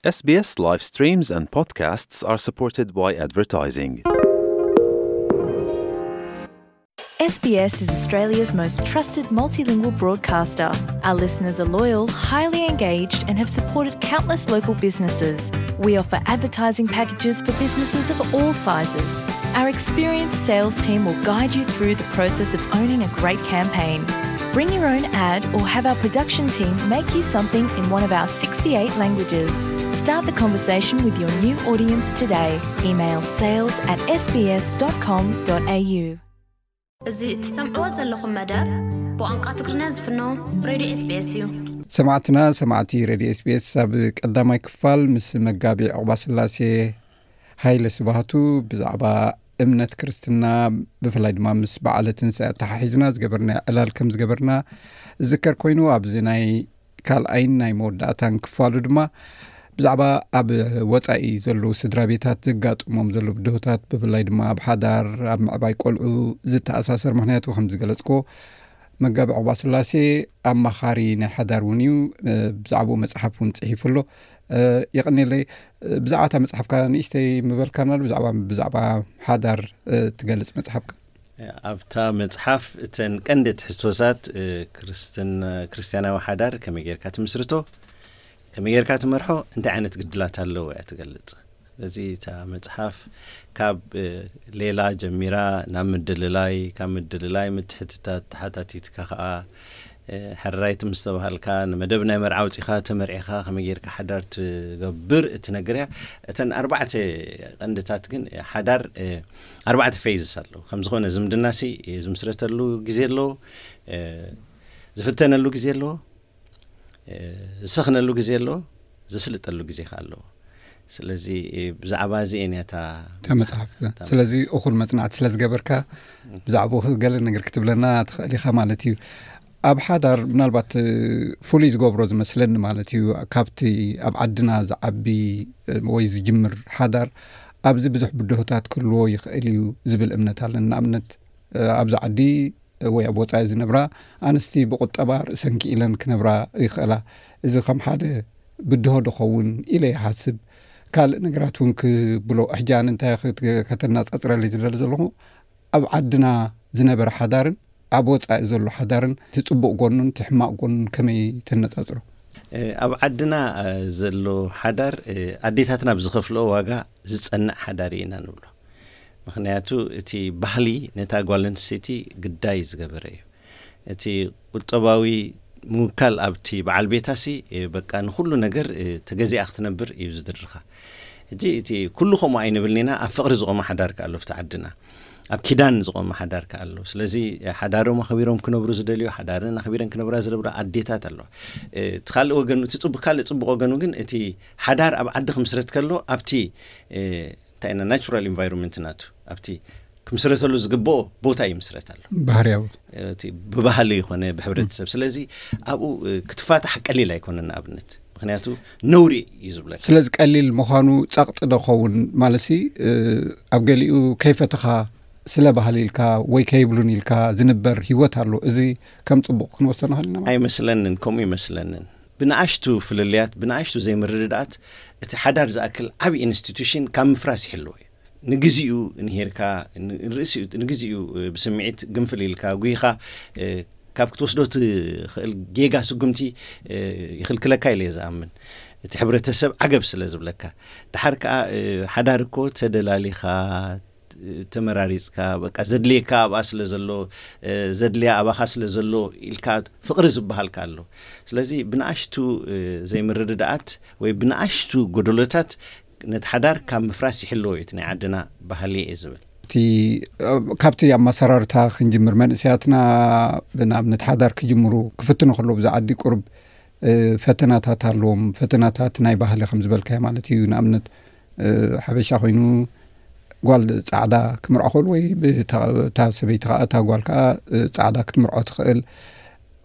S B S live streams and podcasts are supported by advertising. S B S is Australia's most trusted multilingual broadcaster. Our listeners are loyal, highly engaged, and have supported countless local businesses. We offer advertising packages for businesses of all sizes. Our experienced sales team will guide you through the process of owning a great campaign. Bring your own ad or have our production team make you something in one of our sixty-eight languages. Start the conversation with your new audience today. Email sales at S B S dot com dot A U. እዚ እትሰምዕዎ ዘለኹም መደብ ብቋንቋ ትግርኛ ዝፍኖ ሬድዮ S B S እዩ። ሰማዕትና ሰማዕቲ ሬድዮ S B S፣ ኣብ ቀዳማይ ክፋል ምስ መጋቢ ዕቑባ ስላሴ ሃይለ ስብሃቱ ብዛዕባ እምነት ክርስትና፣ ብፍላይ ድማ ምስ በዓለ ትንሳኤ ኣተሓሒዝና ዝገበርና ዕላል ከም ዝገበርና ዝዝከር ኮይኑ፣ ኣብዚ ናይ ካልኣይን ናይ መወዳእታን ክፋሉ ድማ ብዛዕባ ኣብ ወጻኢ ዘለዉ ስድራ ቤታት ዘጋጥሞም ዘለዉ ብድሆታት፣ ብፍላይ ድማ ኣብ ሓዳር፣ ኣብ ምዕባይ ቆልዑ ዝተኣሳሰር፣ ምኽንያቱ ከም ዝገለጽኮ መጋቢ ዕቑባ ስላሴ ኣማኻሪ ናይ ሓዳር እውን እዩ። ብዛዕባኡ መጽሓፍ እውን ጽሒፉ ኣሎ። የቐንየለይ። ብዛዕባ እታ መጽሓፍካ ንእሽተይ ምበልካና ዶ? ብዛዕባ ብዛዕባ ሓዳር ትገልጽ መጽሓፍካ? ኣብታ መጽሓፍ እተን ቀንዲ ትሕዝቶታት ክርስትን ክርስትያናዊ ሓዳር ከመይ ጌርካ ትምስርቶ፣ ከመይ ጌርካ ትመርሖ፣ እንታይ ዓይነት ግድላት ኣለዎ እያ ትገልጽ። ስለዚ እታ መጽሓፍ ካብ ሌላ ጀሚራ ናብ ምድልላይ፣ ካብ ምድልላይ ምትሕትታት ተሓታቲትካ ከኣ ሕራይቲ ምስ ተባሃልካ ንመደብ ናይ መርዓ ኣውጺኻ ተመርዒኻ ከመይ ጌርካ ሓዳር ትገብር እትነግር እያ። እተን ኣርባዕተ ቀንድታት ግን ሓዳር ኣርባዕተ ፌዝስ ኣለዎ። ከም ዝኾነ ዝምድናሲ ዝምስረተሉ ግዜ ኣለዎ፣ ዝፍተነሉ ግዜ ኣለዎ፣ ዝሰኽነሉ ግዜ ኣለዎ፣ ዝስልጠሉ ግዜ ከኣ ኣለዎ። ስለዚ ብዛዕባ እዚ እያ እታ እታ መጽሓፍ። ስለዚ እኹል መጽናዕቲ ስለ ዝገበርካ ብዛዕባኡ ገለ ነገር ክትብለና ትኽእል ኢኻ ማለት እዩ። ኣብ ሓዳር ምናልባት ፍሉይ ዝገብሮ ዝመስለኒ ማለት እዩ፣ ካብቲ ኣብ ዓድና ዝዓቢ ወይ ዝጅምር ሓዳር ኣብዚ ብዙሕ ብድሆታት ክህልዎ ይኽእል እዩ ዝብል እምነት ኣለኒ። ንኣብነት ኣብዚ ዓዲ ወይ ኣብ ወጻኢ ዝነብራ ኣንስቲ ብቁጠባ ርእሰን ክኢለን ክነብራ ይኽእላ። እዚ ከም ሓደ ብድሆ ዶ ኸውን ኢለ ይሓስብ። ካልእ ነገራት እውን ክብሎ፣ ሕጂ ኣነ እንታይ ክት- ከተነጻጽረለይ ዝደሊ ዘለኹ፣ ኣብ ዓድና ዝነበረ ሓዳርን ኣብ ወጻኢ ዘሎ ሓዳርን፣ እቲ ጽቡቕ ጎኑን እቲ ሕማቕ ጎኑን ከመይ ተነጻጽሮ? ኣብ ዓድና ዘሎ ሓዳር ኣዴታትና ብዝኸፍልኦ ዋጋ ዝጸንዕ ሓዳር ኢና ንብሎ። ምኽንያቱ እቲ ባህሊ ነታ ጓል ኣንስተይቲ ግዳይ ዝገበረ እዩ። እቲ ቁጠባዊ ምውካል ኣብቲ በዓል ቤታሲ በቃ ንኹሉ ነገር ተገዚኣ ክትነብር እዩ ዝድርኻ። ሕጂ እቲ ኩሉ ከምኡ ኣይንብልን ኢና። ኣብ ፍቕሪ ዝቖመ ሓዳር ከኣ ኣሎ ኣብቲ ዓድና፣ ኣብ ኪዳን ዝቖመ ሓዳር ከኣ ኣሎ። ስለዚ ሓዳሮም ኣኽቢሮም ክነብሩ ዝደልዩ፣ ሓዳረን ኣኽቢረን ክነብራ ዝደብራ ኣዴታት ኣለዋ። እቲ ካልእ ወገን፣ እቲ ጽቡቕ፣ ካልእ ጽቡቕ ወገኑ ግን እቲ ሓዳር ኣብ ዓዲ ክምስረት ከሎ ኣብቲ እንታይ ኢና ናቹራል ኢንቫይሮንመንት ናቱ ኣብቲ ክምስረተሉ ዝግብኦ ቦታ ይምስረት ኣሎ። ባህርያዊ። እቲ ብባህሊ ይኾነ ብሕብረተሰብ። ስለዚ ኣብኡ ክትፋታሕ ቀሊል ኣይኮነን። ንኣብነት ምኽንያቱ ነውሪ እዩ ዝብለካ። ስለዚ ቀሊል ምዃኑ ጸቕጢ ዶ ኸውን? ማለትሲ ኣብ ገሊኡ ከይፈተኻ ስለ ባህሊ ኢልካ ወይ ከይብሉን ኢልካ ዝንበር ህይወት ኣሎ። እዚ ከም ጽቡቕ ክንወስዶ ንኽእል ኢና ማለት? ኣይመስለንን፣ ከምኡ ይመስለንን። ብንኣሽቱ ፍልልያት፣ ብንኣሽቱ ዘይምርድዳኣት እቲ ሓዳር ዝኣክል ዓቢ ኢንስቲቱሽን ካብ ምፍራስ ይሕልዎ እዩ። ንግዚኡ እንሄርካ ንርእሲኡ ንግዚኡ ብስምዒት ግንፍል ኢልካ ጉይኻ ካብ ክትወስዶ ትኽእል ጌጋ ስጉምቲ ይኽልክለካ ኢለ እየ ዝኣምን። እቲ ሕብረተሰብ ዓገብ ስለ ዝብለካ። ድሓር ከኣ ሓዳር እኮ ተደላሊኻ ተመራሪጽካ በቃ ዘድልየካ ኣብኣ ስለ ዘሎ ዘድልያ ኣባኻ ስለ ዘሎ ኢልካ ፍቕሪ ዝበሃል ከኣ ኣሎ። ስለዚ ብንኣሽቱ ዘይምርድዳኣት ወይ ብንኣሽቱ ጎደሎታት ነቲ ሓዳር ካብ ምፍራስ ይሕልዎ እዩ እቲ ናይ ዓድና ባህሊ እየ ዝብል። እቲ ካብቲ ኣመሰራርታ ክንጅምር፣ መንእሰያትና ብንኣብነት ሓዳር ክጅምሩ ክፍትኑ ከለዉ ብዛ ዓዲ ቁሩብ ፈተናታት ኣለዎም። ፈተናታት ናይ ባህሊ ከም ዝበልካዮ ማለት እዩ። ንኣብነት ሓበሻ ኮይኑ ጓል ጻዕዳ ክምርዖ ክእል ወይ እታ ሰበይቲ ከኣ እታ ጓል ከኣ ጻዕዳ ክትምርዖ ትኽእል።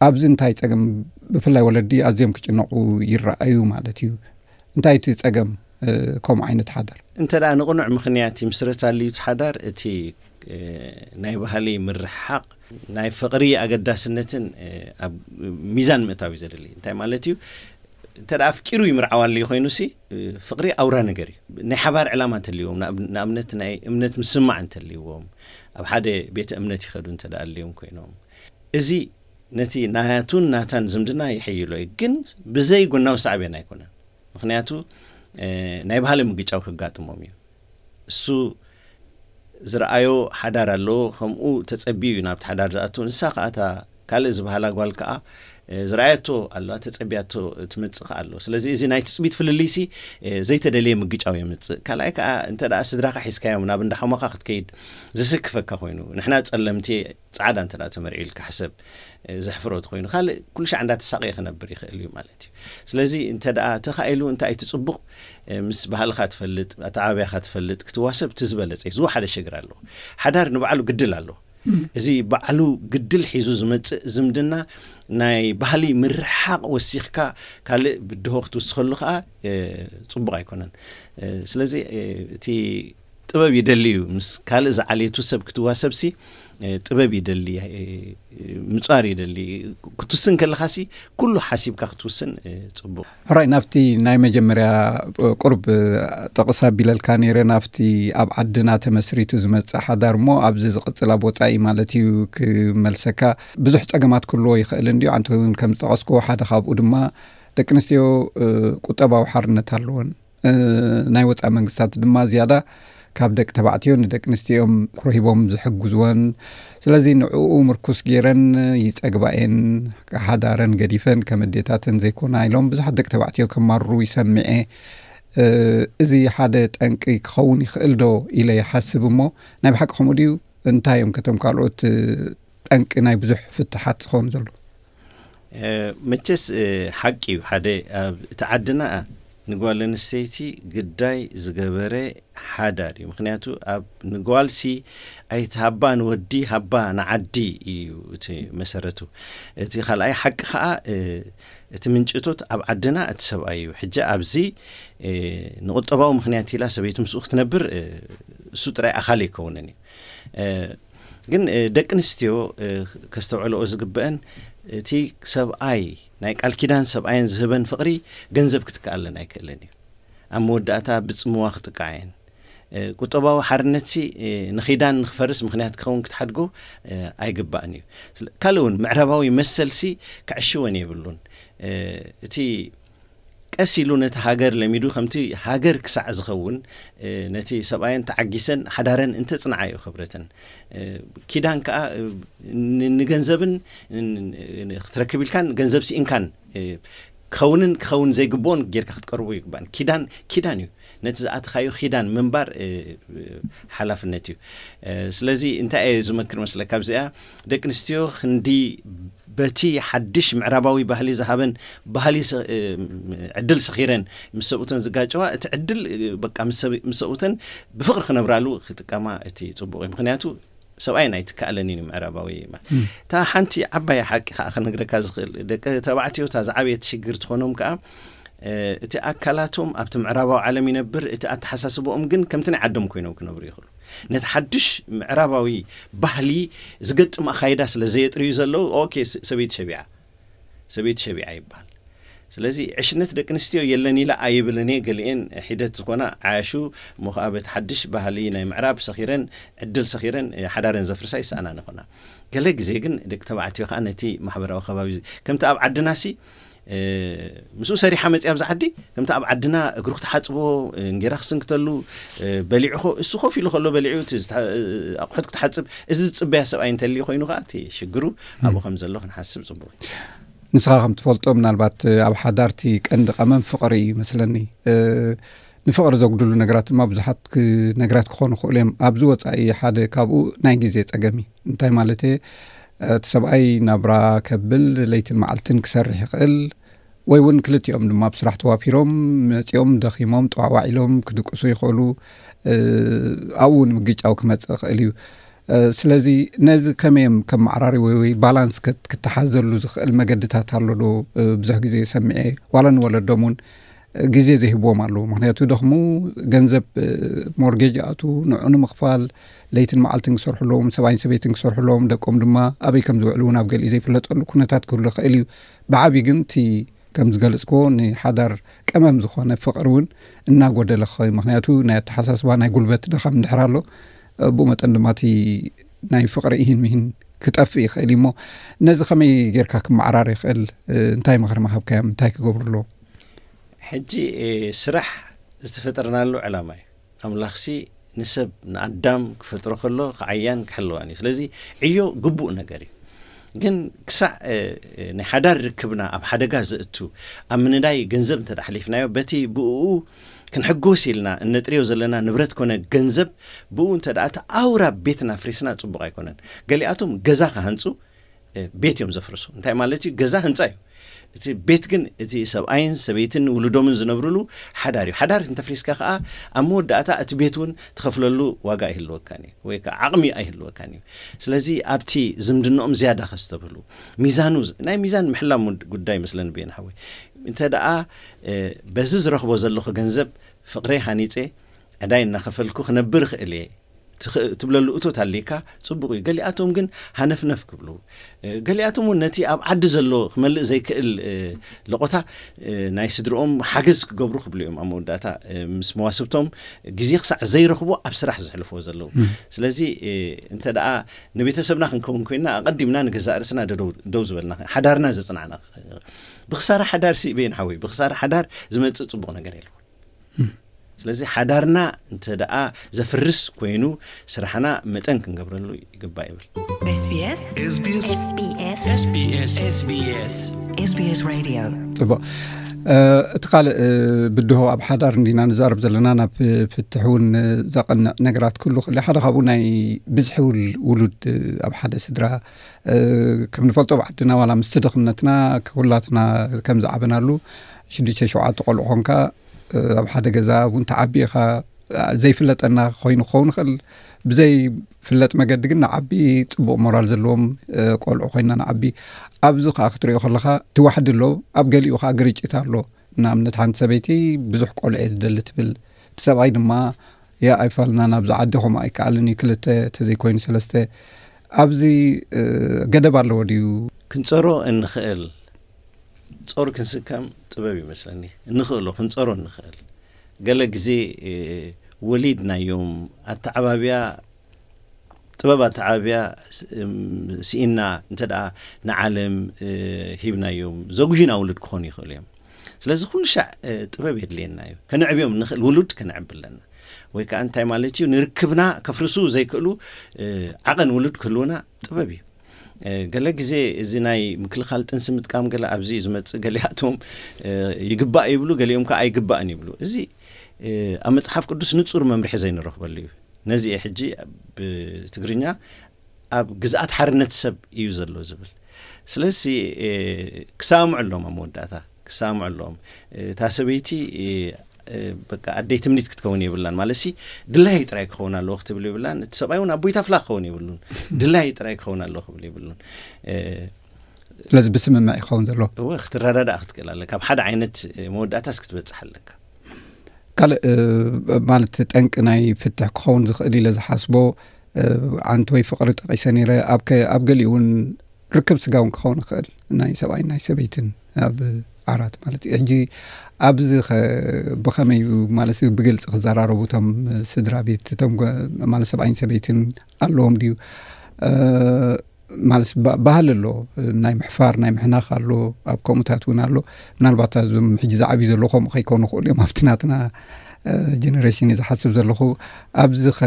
ኣብዚ እንታይ ጸገም፣ ብፍላይ ወለዲ ኣዝዮም ክጭነቑ ይረኣዩ ማለት እዩ። እንታይ እቲ ጸገም ከምኡ ዓይነት ሓዳር? እንተ ደኣ ንቕኑዕ ምኽንያት ይምስረት ኣልዩ እቲ ሓዳር፣ እቲ ናይ ባህሊ ምርሕሓቕ ናይ ፍቕሪ ኣገዳስነትን ኣብ ሚዛን ምእታው እዩ ዘድሊ። እንታይ ማለት እዩ? እንተ ደኣ ኣፍቂሩ ይምርዓው ኣልዩ ኮይኑ ሲ፣ ፍቕሪ ኣውራ ነገር እዩ። ናይ ሓባር ዕላማ እንተልዎም፣ ንኣብነት ናይ እምነት ምስማዕ እንተልዎም፣ ኣብ ሓደ ቤተ እምነት ይኸዱ እንተ ደኣ ኣልዮም ኮይኖም፣ እዚ ነቲ ናቱን ናታን ዝምድና ይሕይሎ እዩ። ግን ብዘይ ጎናዊ ሳዕቤን ኣይኮነን። ምኽንያቱ ናይ ባህሊ ምግጫው ከጋጥሞም እዩ። እሱ ዝረኣዮ ሓዳር ኣለዎ፣ ከምኡ ተጸቢዩ እዩ ናብቲ ሓዳር ዝኣቱ። ንሳ ከኣ እታ ካልእ ዝበሃላ ጓል ከኣ ዝረኣየቶ ኣለዋ፣ ተጸቢያቶ ትመጽእ ከኣ ኣሎ። ስለዚ እዚ ናይ ትጽቢት ፍልልይሲ ዘይተደልየ ምግጫው የምጽእ። ካልኣይ ከኣ እንተ ደኣ ስድራኻ ሒዝካዮም ናብ እንዳ ሓሞኻ ክትከይድ ዘሰክፈካ ኮይኑ፣ ንሕና ጸለምቲ ጻዕዳ እንተ ደኣ ተመርዒልካ ሕሰብ፣ ዘሕፍሮ ተኾይኑ ካልእ ኩሉ ሻዕ እንዳተሳቐየ ክነብር ይኽእል እዩ ማለት እዩ። ስለዚ እንተ ደኣ ተኻኢሉ እንታይ እቲ ጽቡቕ፣ ምስ ባህልኻ ትፈልጥ፣ ኣተዓባብያኻ ትፈልጥ ክትዋሰብ እቲ ዝበለጸ እዩ። ዝወሓደ ሽግር ኣለዎ። ሓዳር ንባዕሉ ግድል ኣለዎ። እዚ ባዕሉ ግድል ሒዙ ዝመጽእ ዝምድና ናይ ባህሊ ምርሓቕ ወሲኽካ ካልእ ብድሆ ክትውስኸሉ ከኣ ጽቡቕ ኣይኮነን። ስለዚ እቲ ጥበብ ይደሊ እዩ። ምስ ካልእ ዝዓለየቱ ሰብ ክትዋሰብሲ ጥበብ ይደሊ፣ ምጻር ይደሊ። ክትውስን ከለኻሲ ኩሉ ሓሲብካ ክትውስን ጽቡቕ። ሕራይ፣ ናብቲ ናይ መጀመርያ ቁርብ ጥቕስ ኣቢለልካ ነይረ፣ ናብቲ ኣብ ዓድና ተመስሪቱ ዝመጽእ ሓዳር እሞ ኣብዚ ዝቕጽል ኣብ ወጻኢ ማለት እዩ ክመልሰካ። ብዙሕ ጸገማት ክህልዎ ይኽእል እንድዩ። ኣንተ እውን ከም ዝጠቐስክዎ ሓደ ካብኡ ድማ ደቂ ኣንስትዮ ቁጠባዊ ሓርነት ኣለወን። ናይ ወፃኢ መንግስታት ድማ ዝያዳ ካብ ደቂ ተባዕትዮ ንደቂ ኣንስትዮኦም ክረሂቦም ዝሕግዝወን። ስለዚ ንዕኡ ምርኩስ ገይረን ይፀግባ እየን፣ ሓዳረን ገዲፈን ከም ኣዴታተን ዘይኮና ኢሎም ብዙሓት ደቂ ተባዕትዮ ከማርሩ ይሰምዐ። እዚ ሓደ ጠንቂ ክኸውን ይኽእል ዶ ኢለ ይሓስብ። እሞ ናይ ብሓቂ ከምኡ ድዩ? እንታይ እዮም ከቶም ካልኦት ጠንቂ ናይ ብዙሕ ፍትሓት ዝኾኑ ዘለዉ? መቸስ ሓቂ እዩ። ሓደ ኣብ እቲ ዓድና ንጓል ኣንስተይቲ ግዳይ ዝገበረ ሓዳር እዩ። ምክንያቱ ኣብ ንጓልሲ ኣይትሃባ ንወዲ፣ ሃባ ንዓዲ እዩ እቲ መሰረቱ። እቲ ካልኣይ ሓቂ ከዓ እቲ ምንጭቶት ኣብ ዓድና እቲ ሰብኣይ እዩ። ሕጂ ኣብዚ ንቁጠባዊ ምክንያት ኢላ ሰበይቲ ምስኡ ክትነብር እሱ ጥራይ ኣካል ኣይከውንን እዩ። ግን ደቂ ኣንስትዮ ከስተውዕልኦ ዝግበአን፣ እቲ ሰብኣይ ናይ ቃል ኪዳን ሰብኣየን ዝህበን ፍቕሪ ገንዘብ ክትከኣለን ኣይክእልን እዩ። ኣብ መወዳእታ ብጽምዋ ክጥቃዓ እየን። ቁጠባዊ ሓርነትሲ ንኺዳን ንክፈርስ ምክንያት ክኸውን ክትሓድጎ ኣይግባእን እዩ። ካልእ እውን ምዕራባዊ መሰልሲ ክዕሽወን የብሉን። እቲ ቀስ ኢሉ ነቲ ሃገር ለሚዱ፣ ከምቲ ሃገር ክሳዕ ዝኸውን ነቲ ሰብኣየን ተዓጊሰን ሓዳረን እንተጽንዓ እዩ ክብረተን። ኪዳን ከኣ ንገንዘብን ክትረክብ ኢልካን ገንዘብ ስኢንካን ክኸውንን ክኸውን ዘይግብኦን ጌርካ ክትቀርቦ ይግባእን። ኪዳን ኪዳን እዩ። ነቲ ዝኣተኻዮ ኪዳን ምንባር ሓላፍነት እዩ። ስለዚ እንታይ እየ ዝመክር መስለካ ኣብዚኣ? ደቂ ኣንስትዮ ክንዲ በቲ ሓድሽ ምዕራባዊ ባህሊ ዝሃበን ባህሊ ዕድል ሰኺረን ምስ ሰብኡተን ዝጋጨዋ፣ እቲ ዕድል በቃ ምስ ሰብኡተን ብፍቕሪ ክነብራሉ ክጥቀማ እቲ ጽቡቕ እዩ። ምክንያቱ ሰብኣይ ናይ ትከኣለኒ እዩ ምዕራባዊ። እታ ሓንቲ ዓባይ ሓቂ ከዓ ክነግረካ ዝኽእል፣ ደቂ ተባዕትዮ እታ ዝዓበየት ሽግር ትኾኖም ከዓ እቲ ኣካላቶም ኣብቲ ምዕራባዊ ዓለም ይነብር፣ እቲ ኣተሓሳስበኦም ግን ከምቲ ናይ ዓዶም ኮይኖም ክነብሩ ይኽእሉ። ነቲ ሓድሽ ምዕራባዊ ባህሊ ዝገጥም ኣኻይዳ ስለ ዘየጥርዩ ዘለዉ፣ ኦኬ፣ ሰበይቲ ሸቢዓ፣ ሰበይቲ ሸቢዓ ይበሃል። ስለዚ ዕሽነት ደቂ ኣንስትዮ የለን ኢለ ኣይብልን እየ። ገሊኤን ሒደት ዝኾና ዓያሹ እሞ ከዓ በቲ ሓድሽ ባህሊ ናይ ምዕራብ ሰኺረን፣ ዕድል ሰኺረን ሓዳረን ዘፍርሳ ይሰኣናን ይኾና። ገለ ግዜ ግን ደቂ ተባዕትዮ ከዓ ነቲ ማሕበራዊ ከባቢ ከምቲ ኣብ ዓድናሲ ምስኡ ሰሪሓ መፅያ ኣብዚ ዓዲ ከምቲ ኣብ ዓድና እግሩ ክትሓፅቦ፣ እንጌራ ክስንክተሉ፣ በሊዑ እሱ ኮፍ ኢሉ ከሎ በሊዑ እቲ ኣቑሑት ክትሓፅብ፣ እዚ ዝፅበያ ሰብኣይ እንተልዩ ኮይኑ ከዓ እቲ ሽግሩ ኣብኡ ከም ዘሎ ክንሓስብ ፅቡቅ እዩ። ንስኻ ከም ትፈልጦ ምናልባት ኣብ ሓዳርቲ ቀንዲ ቀመም ፍቕሪ እዩ ይመስለኒ። ንፍቕሪ ዘጉድሉ ነገራት ድማ ብዙሓት ነገራት ክኾኑ ይኽእሉ እዮም። ኣብዚ ወፃኢ ሓደ ካብኡ ናይ ግዜ ፀገም እዩ። እንታይ ማለት እቲ ሰብኣይ ናብራ ከብል ለይትን መዓልትን ክሰርሕ ይኽእል፣ ወይ እውን ክልቲኦም ድማ ብስራሕ ተዋፊሮም መፂኦም ደኺሞም ጠዋዕዋዕ ኢሎም ክድቅሱ ይኽእሉ። ኣብኡ እውን ምግጫው ክመፅእ ይኽእል እዩ። ስለዚ ነዚ ከመይ እዮም ከመዓራርዩ ወይ ባላንስ ክትሓዘሉ ዝኽእል መገድታት ኣሎ ዶ? ብዙሕ ግዜ ሰሚዐ ዋላ ንወለዶም እውን ግዜ ዘይህብዎም ኣለዉ። ምክንያቱ ደኽሙ፣ ገንዘብ ሞርጌጅ ይኣቱ፣ ንዑ ንምኽፋል ለይትን መዓልትን ክሰርሑ ኣለዎም፣ ሰብኣይን ሰበይትን ክሰርሑ ኣለዎም፣ ደቆም ድማ ኣበይ ከም ዝውዕሉ እውን ኣብ ገሊኡ ዘይፍለጠሉ ኩነታት ክህሉ ይኽእል እዩ። ብዓብዩ ግን እቲ ከም ዝገለጽክዎ፣ ንሓዳር ቀመም ዝኾነ ፍቕሪ እውን እናጎደለ ክኸውን፣ ምኽንያቱ ናይ ኣተሓሳስባ ናይ ጉልበት ድኻም እንድሕር ኣሎ፣ ብኡ መጠን ድማ እቲ ናይ ፍቕሪ ኢሂን ምሂን ክጠፍእ ይኽእል እዩ። እሞ ነዚ ከመይ ጌርካ ክመዓራር ይኽእል? እንታይ ምኽሪ ምሃብካዮም? እንታይ ክገብሩ ኣለዎም? ሕጂ ስራሕ ዝተፈጠርናሉ ዕላማ እዩ። ኣምላኽሲ ንሰብ ንኣዳም ክፈጥሮ ከሎ ክዓያን ክሕልዋን እዩ። ስለዚ ዕዮ ግቡእ ነገር እዩ። ግን ክሳዕ ናይ ሓዳር ርክብና ኣብ ሓደጋ ዘእቱ፣ ኣብ ምንዳይ ገንዘብ እንተ ሓሊፍናዮ፣ በቲ ብኡ ክንሕጎስ ኢልና እነጥርዮ ዘለና ንብረት ኮነ ገንዘብ፣ ብኡ እንተ እቲ ኣውራ ቤትና ፍሪስና ጽቡቕ ኣይኮነን። ገሊኣቶም ገዛ ክሃንጹ ቤት እዮም ዘፍርሱ። እንታይ ማለት እዩ? ገዛ ህንፃ እዩ። እቲ ቤት ግን እቲ ሰብኣይን ሰበይትን ውሉዶምን ዝነብርሉ ሓዳር እዩ። ሓዳር እንተፍሪስካ ከዓ ኣብ መወዳእታ እቲ ቤት እውን ትኸፍለሉ ዋጋ ኣይህልወካን እዩ፣ ወይ ከዓ ዓቕሚ ኣይህልወካን እዩ። ስለዚ ኣብቲ ዝምድንኦም ዝያዳ ከስተብህሉ፣ ሚዛኑ ናይ ሚዛን ምሕላም ጉዳይ መስለኒ ብየን ሓወይ። እንተ ደኣ በዚ ዝረኽቦ ዘለኹ ገንዘብ ፍቕረይ ሃኒፀ ዕዳይ እናኸፈልኩ ክነብር እኽእል እየ ትብለሉ እቶት ኣሊካ ጽቡቕ እዩ። ገሊኣቶም ግን ሃነፍነፍ ክብሉ፣ ገሊኣቶም እውን ነቲ ኣብ ዓዲ ዘሎ ክመልእ ዘይክእል ለቆታ ናይ ስድርኦም ሓገዝ ክገብሩ ክብሉ እዮም። ኣብ መወዳእታ ምስ መዋስብቶም ግዜ ክሳዕ ዘይረኽቡ ኣብ ስራሕ ዘሕልፍዎ ዘለዉ። ስለዚ እንተ ደኣ ንቤተሰብና ክንከውን ኮይና ኣቐዲምና ንገዛእ ርእስና ደው ዝበልና፣ ሓዳርና ዘጽናዕና፣ ብክሳራ ሓዳር ሲ በየን ሓወይ፣ ብክሳራ ሓዳር ዝመጽእ ጽቡቕ ነገር የለ። ስለዚ ሓዳርና እንተ ደኣ ዘፍርስ ኮይኑ ስራሕና መጠን ክንገብረሉ ይግባእ ይብል። SBS SBS SBS SBS SBS Radio። ጽቡቕ። እቲ ካልእ ብድሆ ኣብ ሓዳር እንዲና ንዛረብ ዘለና፣ ናብ ፍትሕ እውን ዘቐንዕ ነገራት ክህሉ ክእል። ሓደ ካብኡ ናይ ብዝሒ ውሉድ ኣብ ሓደ ስድራ፣ ከም ንፈልጦ ኣብ ዓድና ዋላ ምስቲ ድኽነትና ኩላትና ከም ዝዓበናሉ ሽዱሽተ ሸውዓተ ቆልዑ ኾንካ ኣብ ሓደ ገዛ እውን ተዓቢ ኢኻ። ዘይፍለጠና ኮይኑ ክኸውን ይኽእል። ብዘይፍለጥ መገዲ ግን ንዓቢ፣ ጽቡቕ ሞራል ዘለዎም ቆልዑ ኮይና ንዓቢ። ኣብዚ ከዓ ክትሪኦ ከለኻ ትዋሕዲ ኣሎ፣ ኣብ ገሊኡ ከዓ ግርጭት ኣሎ። ንኣብነት ሓንቲ ሰበይቲ ብዙሕ ቆልዑ እየ ዝደሊ ትብል፣ እቲ ሰብኣይ ድማ ያ ኣይፋልና፣ ናብዚ ዓዲ ከምኡ ኣይከኣልን እዩ፣ ክልተ ተዘይኮይኑ ሰለስተ። ኣብዚ ገደብ ኣለዎ ድዩ? ክንጸሮ እንኽእል ጾር ክንስከም ጥበብ ይመስለኒ። እንኽእሎ ክንጸሮ እንኽእል። ገለ ግዜ ወሊድናዮም ኣተዓባብያ፣ ጥበብ ኣተዓባብያ ስኢና እንተ ደኣ ንዓለም ሂብናዮም፣ ዘጉሂና ውሉድ ክኾኑ ይኽእሉ እዮም። ስለዚ ኩሉ ሻዕ ጥበብ የድልየና እዩ። ከነዕብዮም እንኽእል ውሉድ ከነዕቢ ኣለና። ወይ ከዓ እንታይ ማለት እዩ፣ ንርክብና ከፍርሱ ዘይክእሉ ዓቐን ውሉድ ክህልውና ጥበብ እዩ። ገለ ግዜ እዚ ናይ ምክልኻል ጥንሲ ምጥቃም ገለ ኣብዚ እዩ ዝመጽእ። ገሊኣቶም ይግባእ ይብሉ፣ ገሊኦም ከዓ ኣይግባእን ይብሉ። እዚ ኣብ መጽሓፍ ቅዱስ ንጹር መምርሒ ዘይንረኽበሉ እዩ። ነዚ እየ ሕጂ ብትግርኛ ኣብ ግዝኣት ሓርነት ሰብ እዩ ዘሎ ዝብል። ስለዚ ክሰማምዑ ኣለዎም፣ ኣብ መወዳእታ ክሰማምዑ ኣለዎም። እታ ሰበይቲ በቃ ኣደይ ትምኒት ክትከውን የብላን፣ ማለት ሲ ድላይ ጥራይ ክኸውን ኣለዎ ክትብል የብላን። እቲ ሰብኣይ እውን ኣቦይ ታፍላ ክኸውን የብሉን፣ ድላይ ጥራይ ክኸውን ኣለዎ ክብል የብሉን። ስለዚ ብስምምዕ ይኸውን ዘለዎ። እወ፣ ክትረዳዳእ ክትክእል ኣለካ፣ ኣብ ሓደ ዓይነት መወዳእታስ ክትበፅሕ ኣለካ። ካልእ ማለት ጠንቂ ናይ ፍትሕ ክኸውን ዝኽእል ኢለ ዝሓስቦ ዓንት ወይ ፍቕሪ ጠቒሰ ነይረ። ኣብ ገሊኡ እውን ርክብ ስጋ እውን ክኸውን ይኽእል፣ ናይ ሰብኣይን ናይ ሰበይትን ኣብ ዓራት ማለት እዩ። ሕጂ ኣብዚ ብኸመይ እዩ ማለት ብግልፂ ክዘራረቡ እቶም ስድራ ቤት፣ እቶም ማለት ሰብኣይን ሰበይትን ኣለዎም ድዩ? ማለት ባህሊ ኣሎ፣ ናይ ምሕፋር ናይ ምሕናኽ ኣሎ፣ ኣብ ከምኡታት እውን ኣሎ። ምናልባት እዞም ሕጂ ዝዓብዩ ዘለዉ ከምኡ ከይኮኑ ይኽእሉ እዮም፣ ኣብቲ ናትና ጀነሬሽን እዩ ዝሓስብ ዘለኹ። ኣብዚ ኸ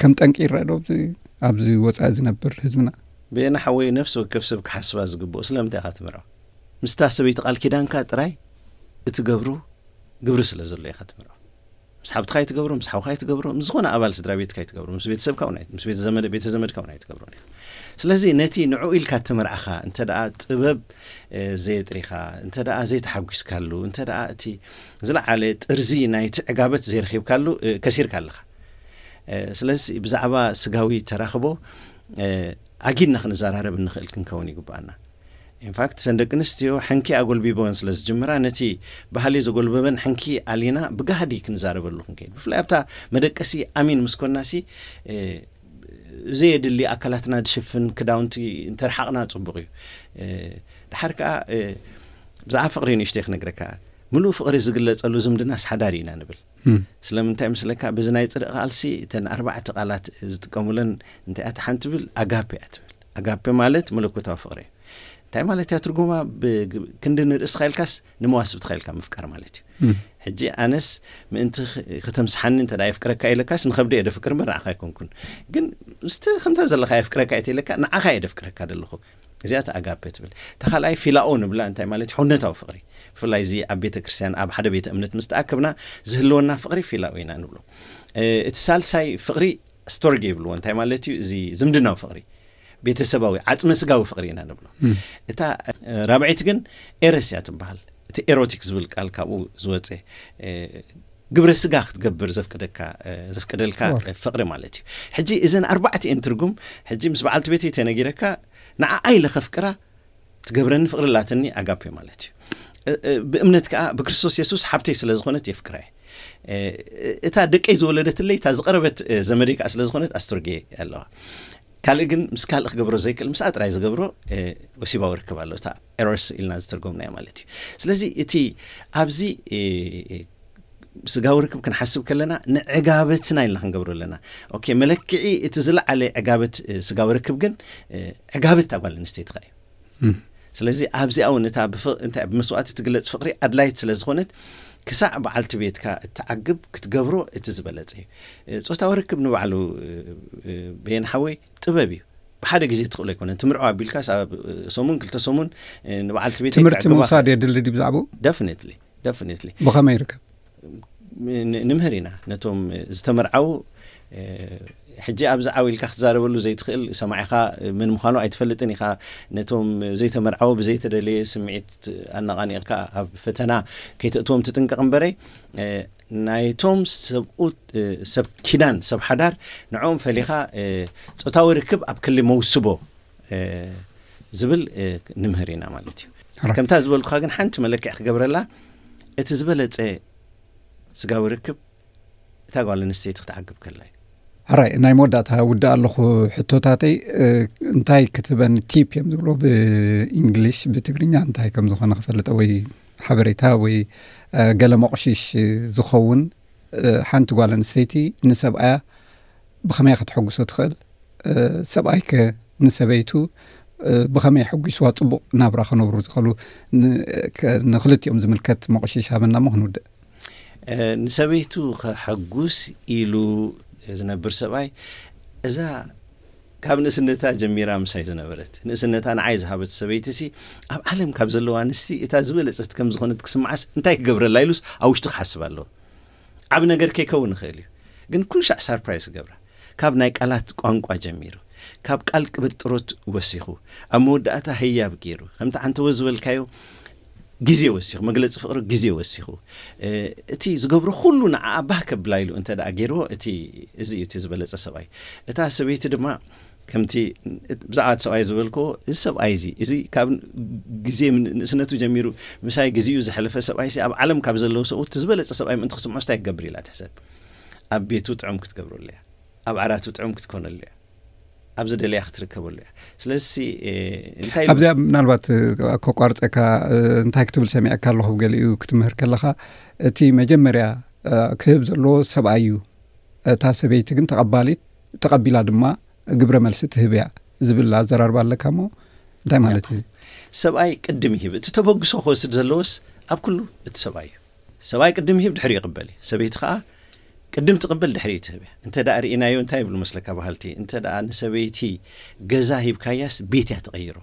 ከም ጠንቂ ይረአ ዶ ኣብዚ ወፃኢ ዝነብር ህዝብና? ብየና ሓወይ፣ ነፍሲ ወከፍ ሰብ ክሓስባ ዝግብኦ፣ ስለምንታይ ኢኻ ትምርዖ? ምስታ ሰበይቲ ቃል ኪዳንካ ጥራይ እትገብሮ ግብሪ ስለ ዘሎ ኢኻ ትምርዖ። ምስ ሓብትኻ ኣይትገብሮ፣ ምስ ሓውኻ ኣይትገብሮ፣ ምስ ዝኾነ ኣባል ስድራ ቤትካ ኣይትገብሮ፣ ምስ ቤተሰብካ እውን ኣይ-፣ ምስ ቤተ ዘመድ-፣ ቤተ ዘመድካ እውን ኣይትገብሮን ኢኻ። ስለዚ ነቲ ንዕኡ ኢልካ እተመርዓኻ እንተ ደኣ ጥበብ፣ እ፣ ዘየጥሪኻ፣ እንተ ደኣ ዘይተሓጒስካሉ፣ እንተ ደኣ እቲ ዝለዓለ ጥርዚ ናይቲ ዕጋበት ዘይረኺብካሉ፣ እ፣ ከሲርካ ኣለኻ። እ፣ ስለዚ ብዛዕባ ስጋዊ ተራኽቦ፣ እ፣ ኣጊድና ክንዘራረብ እንኽእል ክንከውን ይግብኣና። ኢንፋክት፣ ሰን ደቂ ኣንስትዮ ሕንኪ ኣጎልቢበን ስለ ዝጅምራ፣ ነቲ ባህሊ ዘጎልበበን ሕንኪ ኣሊና ብጋህዲ ክንዛረበሉ ክንከይድ። ብፍላይ ኣብታ መደቀሲ ኣሚን ምስ ኮንናሲ፣ እ፣ ዘየድሊ ኣካላትና ዝሽፍን ክዳውንቲ እንተርሓቕና ጽቡቕ እዩ። እ፣ ድሓር ከኣ፣ እ፣ ብዛዕባ ፍቕሪ ንእሽተይ ክነግረካ። ምሉእ ፍቕሪ ዝግለጸሉ ዝምድናስ ሓዳር ኢና ንብል። ስለምንታይ ምስለካ፣ በዚ ናይ ጽድቂ ቃልሲ እተን ኣርባዕተ ቃላት ዝጥቀሙለን እንታይ እያ? ሓንቲ ትብል ኣጋፔ እያ ትብል። ኣጋፔ ማለት መለኮታዊ ፍቕሪ እዩ። እንታይ ማለት እያ ትርጉማ? ክንዲ ንርእስኻ ኢልካስ ንመዋስብትኻ ኢልካ ምፍቃር ማለት እዩ። ሕጂ ኣነስ ምእንቲ ከተምስሓኒ እንተ የፍቅረካ ኢለካስ ንኸብደ እየ ደፍቅር እምበር ንዓኻ ኣይኮንኩን። ግን ምስቲ ከምታ ዘለኻ የፍቅረካ እየ ኢለካ ንዓኻ እየ ደፍቅረካ ዘለኹ። እዚኣ ኣጋፔ ትብል። እታ ካልኣይ ፊላኦ ንብላ። እንታይ ማለት እዩ? ሆነታዊ ፍቕሪ። ብፍላይ እዚ ኣብ ቤተ ክርስቲያን ኣብ ሓደ ቤተ እምነት ምስ ተኣከብና ዝህልወና ፍቕሪ ፊላኦ ኢና ንብሎ። እቲ ሳልሳይ ፍቕሪ ስቶርጌ ይብልዎ። እንታይ ማለት እዩ? እዚ ዝምድናዊ ፍቕሪ፣ ቤተሰባዊ ዓጽመ ስጋዊ ፍቕሪ ኢና ንብሎ። እታ ራብዐይቲ ግን ኤረስ እያ ትበሃል። እቲ ኤሮቲክ ዝብል ቃል ካብኡ ዝወፀ፣ ግብረ ስጋ ክትገብር ዘፍቅደካ ዘፍቅደልካ ፍቕሪ ማለት እዩ። ሕጂ እዘን ኣርባዕተ እየን ትርጉም። ሕጂ ምስ በዓልቲ ቤተይ ተነጊረካ ንዓኣ ኢለ ከፍቅራ ትገብረኒ ፍቕሪ ላትኒ ኣጋፔ ማለት እዩ። ብእምነት ከዓ ብክርስቶስ የሱስ ሓብተይ ስለ ዝኾነት የፍቅራ እየ። እታ ደቀይ ዝወለደትለይ እታ ዝቐረበት ዘመደይ ከዓ ስለ ዝኾነት ኣስቶርጌ ኣለዋ። ካልእ ግን ምስ ካልእ ክገብሮ ዘይክእል ምስኣ ጥራይ ዝገብሮ ወሲባዊ ርክብ ኣሎ። እታ ኤሮስ ኢልና ዝተርጎምናዮ ማለት እዩ። ስለዚ እቲ ኣብዚ ስጋዊ ርክብ ክንሓስብ ከለና ንዕጋበትና ኢልና ክንገብሮ ኣለና። ኦኬ፣ መለክዒ እቲ ዝለዓለ ዕጋበት ስጋዊ ርክብ ግን ዕጋበት እታ ጓል ኣንስተይቲ እዩ። ስለዚ ኣብዚኣ እውን እታ እንታይ ብመስዋእቲ ትግለጽ ፍቕሪ ኣድላይት ስለ ዝኾነት ክሳዕ በዓልቲ ቤትካ እትዓግብ ክትገብሮ እቲ ዝበለጸ እዩ። ጾታዊ ርክብ ንባዕሉ በየን ሓወይ ጥበብ እዩ። ብሓደ ግዜ ትኽእሎ ኣይኮነን። ትምርዖ ኣቢልካስ ኣብ ሰሙን ክልተ ሰሙን ንበዓልቲ ቤት ትምህርቲ ምውሳድ የድሊ ድዩ ብዛዕባኡ? ደፍኒትሊ ደፍኒትሊ። ብኸመይ ይርከብ? ንምህር ኢና ነቶም ዝተመርዓው። ሕጂ ኣብዚ ዓው ኢልካ ክትዛረበሉ ዘይትኽእል ሰማዒኻ ምን ምዃኑ ኣይትፈልጥን ኢኻ። ነቶም ዘይተመርዓው ብዘይተደለየ ስምዒት ኣነቓኒቕካ ኣብ ፈተና ከይተእትዎም ትጥንቀቕ እምበረይ፣ ናይቶም ሰብኡት ሰብ ኪዳን ሰብ ሓዳር ንዕኦም ፈሊኻ ጾታዊ ርክብ ኣብ ክሊ መውስቦ ዝብል ንምህር ኢና ማለት እዩ። ከምታ ዝበልኩኻ ግን ሓንቲ መለክዕ ክገብረላ፣ እቲ ዝበለጸ ስጋዊ ርክብ እታ ጓል ኣንስተይቲ ክትዓግብ ከላ እዩ። ሕራይ፣ ናይ መወዳእታ ውዳእ ኣለኹ። ሕቶታተይ እንታይ ክትበን ቲፕ እዮም ዝብሎ ብእንግሊሽ፣ ብትግርኛ እንታይ ከም ዝኾነ ክፈልጠ ወይ ሓበሬታ ወይ ገለ መቑሽሽ ዝኸውን ሓንቲ ጓል ኣንስተይቲ ንሰብኣያ ብኸመይ ከተሐጉሶ ትኽእል? ሰብኣይከ ንሰበይቱ ብኸመይ ኣሐጒስዋ ጽቡቕ ናብራ ክነብሩ ዝኽእሉ? ንኽልቲኦም ዝምልከት መቑሽሽ ሃበና እሞ ክንውድእ። ንሰበይቱ ከሐጉስ ኢሉ ዝነብር ሰብኣይ፣ እዛ ካብ ንእስነታ ጀሚራ ምሳይ ዝነበረት፣ ንእስነታ ንዓይ ዝሃበት ሰበይቲ ሲ ኣብ ዓለም ካብ ዘለዋ ኣንስቲ እታ ዝበለጸት ከም ዝኾነት ክስምዓስ እንታይ ክገብረላ ኢሉስ ኣብ ውሽጡ ክሓስብ ኣለዎ። ዓቢ ነገር ከይከውን ይኽእል እዩ፣ ግን ኩሉ ሻዕ ሳርፕራይዝ ክገብራ፣ ካብ ናይ ቃላት ቋንቋ ጀሚሩ፣ ካብ ቃል ቅብጥሮት ወሲኹ፣ ኣብ መወዳእታ ህያብ ገይሩ፣ ከምቲ ዓንተወ ዝበልካዮ ግዜ ወሲኹ፣ መግለጺ ፍቕሪ ግዜ ወሲኹ፣ እቲ ዝገብሮ ኩሉ ንዓኣ ባህ ከብላ ኢሉ እንተ ደኣ ገይርዎ፣ እቲ እዚ እዩ እቲ ዝበለጸ ሰብኣይ። እታ ሰበይቲ ድማ ከምቲ ብዛዕባ እቲ ሰብኣይ ዝበልክዎ፣ እዚ ሰብኣይ እዚ እዚ ካብ ግዜ ንእስነቱ ጀሚሩ ምሳይ ግዜኡ ዘሕለፈ ሰብኣይ ሲ ኣብ ዓለም ካብ ዘለዉ ሰብኡት ዝበለጸ ሰብኣይ ምእንቲ ክስምዖ ስታይ ክገብር ኢላ ትሕሰብ። ኣብ ቤቱ ጥዑም ክትገብረሉ እያ። ኣብ ዓራቱ ጥዑም ክትኮነሉ እያ። ኣብ ዝደለያ ክትርከበሉ እያ። ስለዚ እንታይ ኣብዚኣ ምናልባት ከቋርፀካ እንታይ ክትብል ሰሚዐካ ኣለኹ፣ ገሊኡ ክትምህር ከለኻ እቲ መጀመርያ ክህብ ዘለዎ ሰብኣይ እዩ፣ እታ ሰበይቲ ግን ተቐባሊት ተቐቢላ ድማ ግብረ መልሲ ትህብ እያ ዝብል ኣዘራርባ ኣለካ እሞ እንታይ ማለት እዩ? ሰብኣይ ቅድም ይህብ። እቲ ተበግሶ ክወስድ ዘለዎስ ኣብ ኩሉ እቲ ሰብኣይ እዩ። ሰብኣይ ቅድም ይህብ ድሕሪ ይቕበል እዩ። ሰበይቲ ከዓ ቅድም ትቕበል ድሕሪ ትህብ እያ። እንተ ደኣ ርኢናዮ እንታይ ይብሉ መስለካ ባህልቲ? እንተ ደኣ ንሰበይቲ ገዛ ሂብካያስ ቤት እያ ትቐይሮ።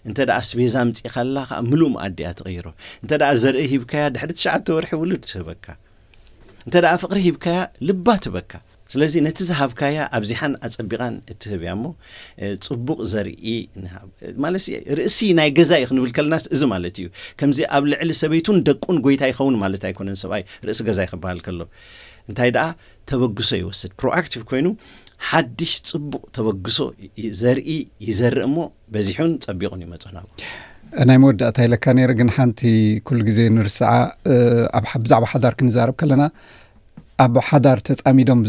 እንተ ደኣ ኣስቤዛ ኣምጺእካላ ከዓ ምሉእ መኣዲ እያ ትቐይሮ። እንተ ደኣ ዘርኢ ሂብካያ ድሕሪ ትሽዓተ ወርሒ ውሉድ ትህበካ። እንተ ደኣ ፍቕሪ ሂብካያ ልባ ትበካ። ስለዚ ነቲ ዝሃብካያ ኣብዚሓን ኣጸቢቓን እትህብ እያ እሞ ጽቡቕ ዘርኢ ንሃብ። ማለት ርእሲ ናይ ገዛ እዩ ክንብል ከለናስ እዚ ማለት እዩ። ከምዚ ኣብ ልዕሊ ሰበይቱን ደቁን ጎይታ ይኸውን ማለት ኣይኮነን። ሰብኣይ ርእሲ ገዛ እዩ ክበሃል ከሎ እንታይ ደኣ ተበግሶ ይወስድ፣ ፕሮኣክቲቭ ኮይኑ ሓድሽ ጽቡቕ ተበግሶ ዘርኢ ይዘርእ እሞ በዚሑን ጸቢቑን ይመጾ ናብኡ። ናይ መወዳእታ ኢለካ ነይረ፣ ግን ሓንቲ ኩሉ ግዜ ንርስዓ። ኣብ ብዛዕባ ሓዳር ክንዛረብ ከለና ኣብ ሓዳር ተጻሚዶም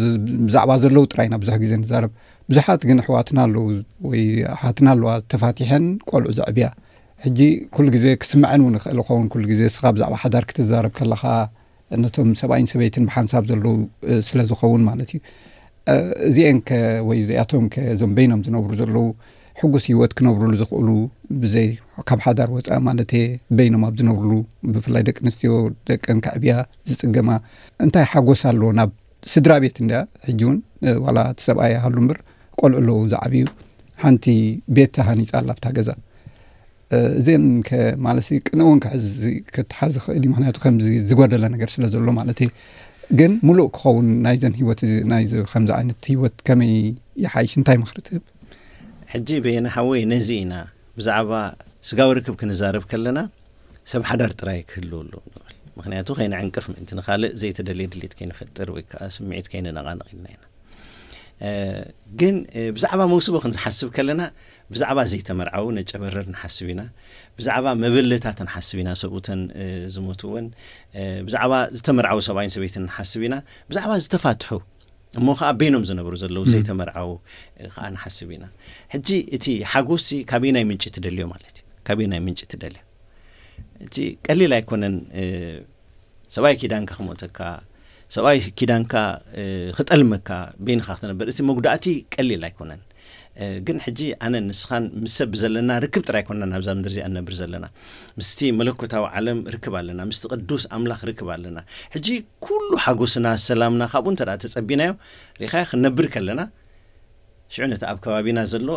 ብዛዕባ ዘለዉ ጥራይ ኢና ብዙሕ ግዜ ንዛረብ። ብዙሓት ግን ኣሕዋትና ኣለዉ ወይ ኣሓትና ኣለዋ ተፋቲሐን ቆልዑ ዘዕብያ። ሕጂ ኩሉ ግዜ ክስምዐን እውን ይኽእል ይኸውን። ኩሉ ግዜ እስኻ ብዛዕባ ሓዳር ክትዛረብ ከለኻ ነቶም ሰብኣይን ሰበይትን ብሓንሳብ ዘለዉ ስለ ዝኸውን ማለት እዩ። እዚአንከ ወይ እዚኣቶምከ፣ እዞም በይኖም ዝነብሩ ዘለዉ፣ ሕጉስ ህይወት ክነብሩሉ ዝኽእሉ፣ ብዘይ ካብ ሓዳር ወፃኢ ማለት እየ፣ በይኖም ኣብ ዝነብሩሉ፣ ብፍላይ ደቂ ኣንስትዮ ደቀን ከዕብያ ዝፅገማ፣ እንታይ ሓጎስ ኣለዎ? ናብ ስድራ ቤት እንድያ። ሕጂ እውን ዋላ እቲ ሰብኣይ ይሃሉ እምበር፣ ቆልዑ ኣለዉ ዝዓብዩ፣ ሓንቲ ቤት ተሃኒፃ ኣላ ኣብታ ገዛ። እዚን ከማለሲ ቅንእውን ክትሓዝ ይኽእል እዩ። ምክንያቱ ከምዚ ዝጎደለ ነገር ስለ ዘሎ ማለት እዩ። ግን ሙሉእ ክኸውን ናይዘን ህይወት፣ ናይዚ ከምዚ ዓይነት ህይወት ከመይ ይሓይሽ? እንታይ ምኽሪ ትህብ? ሕጂ በየነ ሓወይ፣ ነዚ ኢና ብዛዕባ ስጋዊ ርክብ ክንዛረብ ከለና ሰብ ሓዳር ጥራይ ክህልው ኣለዎ ንብል። ምክንያቱ ከይንዕንቅፍ ምእንቲ ንኻልእ ዘይተደልየ ድሌት ከይንፈጥር ወይ ከዓ ስምዒት ከይንነቓንቕ ኢልና ኢና። ግን ብዛዕባ መውስቦ ክንዝሓስብ ከለና ብዛዕባ ዘይተመርዓው ነጨበረር ንሓስብ ኢና። ብዛዕባ መበለታት ንሓስብ ኢና፣ ሰብኡተን ዝሞትወን። ብዛዕባ ዝተመርዓው ሰብኣይን ሰበይትን ንሓስብ ኢና። ብዛዕባ ዝተፋትሑ እሞ ከዓ በይኖም ዝነብሩ ዘለዉ ዘይተመርዓው ከዓ ንሓስብ ኢና። ሕጂ እቲ ሓጎሲ ካበየናይ ምንጪ ትደልዮ ማለት እዩ? ካበየናይ ምንጪ ትደልዮ? እቲ ቀሊል ኣይኮነን። ሰብኣይ ኪዳንካ ክሞተካ፣ ሰብኣይ ኪዳንካ ክጠልመካ፣ በይንኻ ክትነብር፣ እቲ መጉዳእቲ ቀሊል ኣይኮነን። ግን ሕጂ ኣነ ንስኻን ምስ ሰብ ብዘለና ርክብ ጥራይ ኣይኮንና ናብዛ ምድሪ እዚኣ ንነብር ዘለና። ምስቲ መለኮታዊ ዓለም ርክብ ኣለና፣ ምስቲ ቅዱስ ኣምላኽ ርክብ ኣለና። ሕጂ ኩሉ ሓጎስና፣ ሰላምና ካብኡ እንተ ተጸቢናዮ ሪኻ ክንነብር ከለና፣ ሽዑ ነቲ ኣብ ከባቢና ዘሎ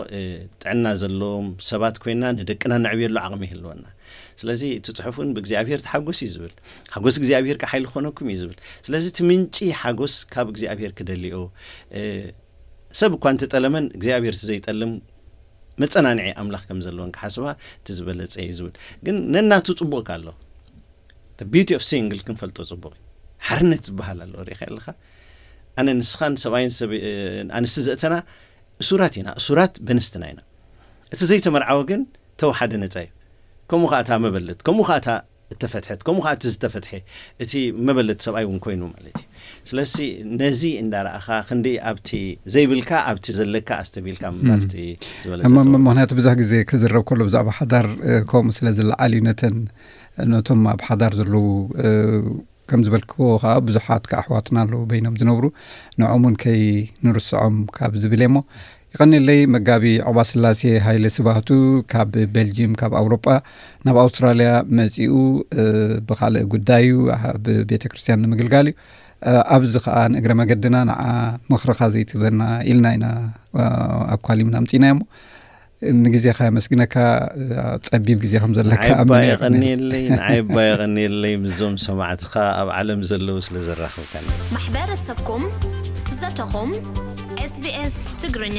ጥዕና ዘለዎም ሰባት ኮይና ንደቅና ነዕብየሉ ዓቕሚ ይህልወና። ስለዚ እቲ ጽሑፍ እውን ብእግዚኣብሔር ተሓጎስ እዩ ዝብል። ሓጎስ እግዚኣብሔር ከ ሓይሊ ክኾነኩም እዩ ዝብል። ስለዚ እቲ ምንጪ ሓጎስ ካብ እግዚኣብሔር ክደልዮ፣ ሰብ እኳ እንተጠለመን እግዚኣብሔር እቲ ዘይጠልም መጸናንዒ ኣምላኽ ከም ዘለዎን ክሓስባ እቲ ዝበለጸ እዩ ዝብል። ግን ነናቱ ጽቡቕ ኣሎ። The beauty of single ክንፈልጦ ጽቡቕ እዩ። ሓርነት ዝበሃል ኣሎ፣ ሪኢኻ ኣለኻ። ኣነ ንስኻን ሰብኣይን ሰብ ኣንስቲ ዘእተና እሱራት ኢና፣ እሱራት በንስትና ኢና። እቲ ዘይተመርዓወ ግን ተወሓደ ነጻ እዩ። ከምኡ ኸዓ እታ መበለት፣ ከምኡ ኸዓ እታ እተፈትሐት፣ ከምኡ ኸዓ እቲ ዝተፈትሐ፣ እቲ መበለት ሰብኣይ እውን ኮይኑ ማለት እዩ። ስለዚ ነዚ እንዳረኣኻ ክንዲ ኣብቲ ዘይብልካ ኣብቲ ዘለካ ኣስተቢልካ ምባል እቲ ዝበለጸ እሞ ጥበብ። ምክንያቱ ብዙሕ ግዜ ክዝረብ ከሎ ብዛዕባ ሓዳር እ፣ ከምኡ ስለ ዝለዓል እዩ። ነተን ነቶም ኣብ ሓዳር ዘለዉ እ፣ ከም ዝበልክዎ ከዓ ብዙሓት ከዓ ኣሕዋትና ኣለዉ በይኖም ዝነብሩ፣ ንዖም እውን ከይንርስዖም ካብ ዝብል እየ። እሞ ይቐንየለይ መጋቢ ዑቕባስላሴ ሃይለ ስብሃቱ ካብ ቤልጂም፣ ካብ ኣውሮጳ ናብ ኣውስትራልያ መጺኡ እ፣ ብኻልእ ጉዳይ እዩ፣ ኣብ ቤተ ክርስቲያን ንምግልጋል እዩ። እ፣ ኣብዚ ከዓ ንእግረ መገድና ንዓ ምኽርኻ ዘይትህበና ኢልና ኢና እ፣ ኣኳሊምና ኣምጺእናዮ። እሞ ንግዜኻ የመስግነካ። እ፣ ጸቢብ ግዜ ከም ዘለካ ንዓይ እባ ኣሚነ እየ። የቐንየለይ፣ ንዓይ እባ የቐንየለይ፣ ምስዞም ሰማዕትኻ ኣብ ዓለም ዘለዉ ስለ ዘራኸብካኒ። ማሕበረሰብኩም፣ ዘተኹም፣ SBS ትግርኛ።